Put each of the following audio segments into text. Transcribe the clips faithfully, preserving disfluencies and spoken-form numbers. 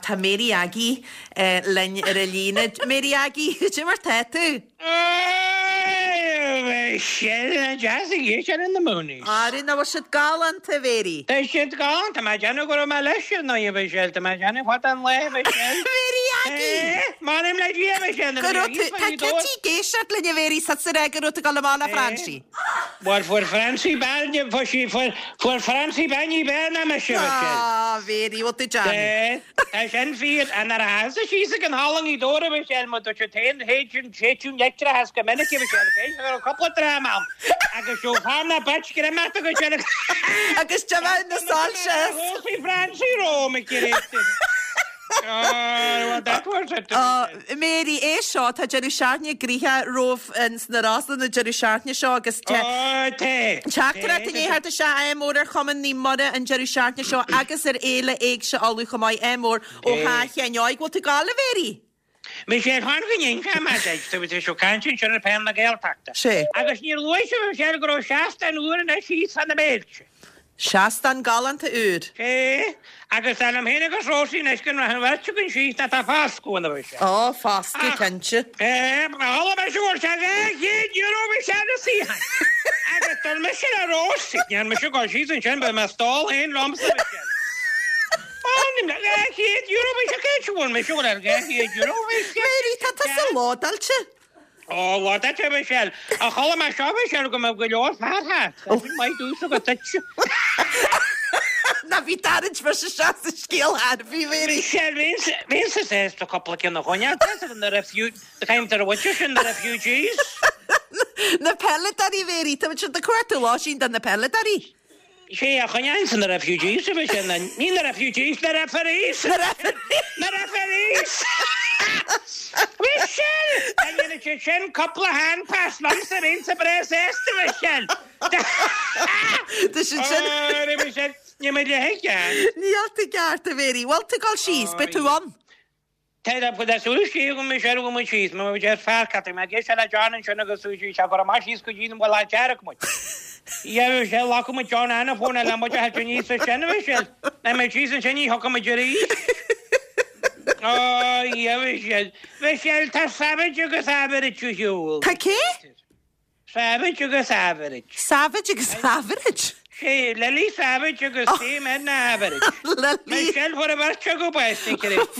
tá Mary Aggie eh, linn ar an líne. Mary Aggie, cad é mar tá tú? Sin deas sin na Moonies. Á na bhfuil siad galánta Mary. Tá siad galánta má déanú go mé leis ná bh sé má déanú what an le Mary Aggie! Má le Go tá Kitty ag éisteacht linn a Mary sa sa go raibh tú ag dul le Francie. Well fuair Francie bean fuair fuair Francie bean be na me se. Ah, Mary, what the Johnny. Tá sin fíor an ar a sí an hálangi dóra bh sé mu sé tain héin séún leictre go minic sé cúpla drama agus seo na bet go me go se Agus te na soilse. Francie ró me Mary é seo tá deireadh seachtaine gnoitheach romhaibh sna Rosann na deireadh seachtaine seo agus Teachtaireacht inné thart sé ádh mór ar Chumann Naomh Muire an deireadh seachtaine seo agus ar Fhéile Éigse Uladh chomh maith ádh mór ó Sheáin bhfuil tú ag gabháil a Mary. Me sé chuan go má seo caiin sin ar pen na Gaeltachta. Sé. Agus níor luaigh sé go raibh seastán úr na sí san na béilte. Seastán galánta úr. É agus an héna agus Róisín is gon an bheirt go sí na tá fáscu na bh sé. Á fáscu cinnte. É me se chéad euro sé na sí. Agus tar me sin a Róisín me se go sí an sin be me stál héin rom chéad euro sé cé me se chéad euro. Mary tá tá sa ládáilte. Ó what that Michelle a chola me seo Michelle go go leor fear mai dúsa go tuit. Na bhí tarint mar se se sa scéal bhí Mary. Michelle bhín sa sé a cúpla cinn a choinne na refu caim ar bhaite sin na refugees. Na peileadóirí Mary tá sin de cuartú lá sin den na peileadóirí. Sé a choinne san na refugees a sin ní na refugees na referees Na referees. Na referees. Michelle! A dhéanamh sin cúpla hand pass lam sa réon sa breis éiste Michelle. Tá sin sin Michelle, ní mé le héige. Níl tú ceart a Mary, Bhfuil tú ag gabháil síos, beidh tú ann. Tá go sú sí go mé go mu síos, má deir fear cat me gé se le John sin agus sú sí se go mar síos go dtí bhfuil dearach mu. Ja sé lá go John anna fóna le mu he ní sa sin Michelle. Na mé sí an sin ní thu mu derí. Ó ja Michelle. Michelle tá Savage agus average siúl. Tá cé? Savage agus average. Savage agus average. Sé Lily Savage agus Sam na average. Lily. Michelle fuair a bheirt go bás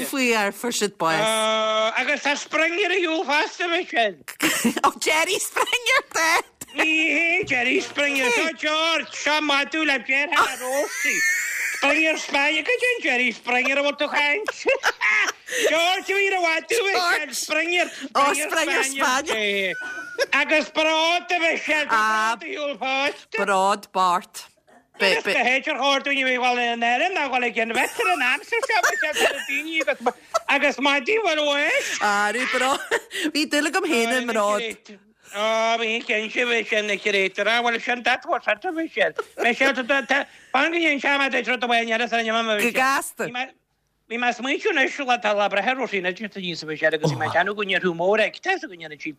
Faoi ar fuair siad bás. Agus tá Springer a shiúl fosta Michelle. Ó Jerry Springer tá. Ní hé Jerry Springer seo George seo madú le Jerry Rosie. Springer Spanier go dtí Jerry Springer a bhfuil tú chaint. George bhí a bhú Michelle Springer. Ó Springer Spanier. Agus Bród a Michelle Ah. shiúl fosta. Bród Bart. Be- be- Héidir chuirúine bhí bhil an éan ná bhfuil ag an vetar an amsa seo daoine agus agus maidí bhfuil éis. Arú bro. Bhí dúil agam féin i mBród. Á bhí cén si bhí sin na chirétar bhfuil sin dat bhar bhí sin. Michelle fan go dhéon se rud a bhain san Go gasta. Bhí me smaointiú is le tá le breithe sí na níos bhí sé agus mé anú go tú mór ag te go chi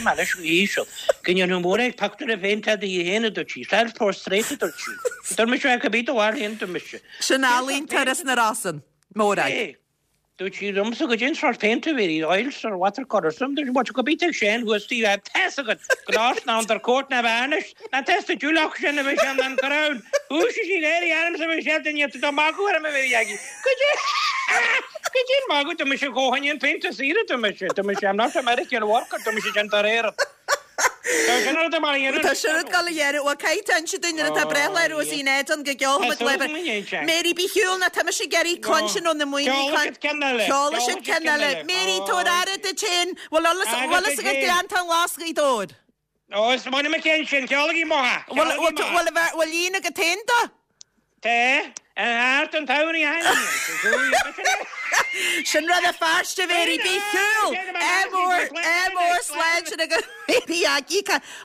me leis ísel. Go tú mór ag pacú a féin te í héana do chi, self-portrait do chi. Dur me se go bí bhar héon do me se. Sin ealaíontóir na Rosann. Mórag. Dúirt sí liomsa go dén sort painter bhí oils or watercolor some there's what go bí sin who tí test go gnás ná der court na bhanis na test dúlach sin a bhí sin an crown. Hú sí sí léirí arm sa bhí sé den tá magu ar me bhí agi. Go dé magu do me se gohain an painter sí do me se do me se I'm not American worker do me se tar éir. Tá sin gal a dhéire ó caiit se duine atá breithlá Róisín Éadan go gceolfaimid leibh. Mary bí shiúl na tá sé gerí cluinsin ó na muoine Ceola sin ceann eile. Mary tabhair aire duit féin bhfuil eolas agat Gleanntán Glas Ghaoth Dobhair. Ó is mai me cén sin ceolaí mátha. Bhfuil líon agat féin dó? Té an an taí Sin rud a feirste Mary bí shiúl. Ádh mór ádh mór sláinte agus Mary Aggie.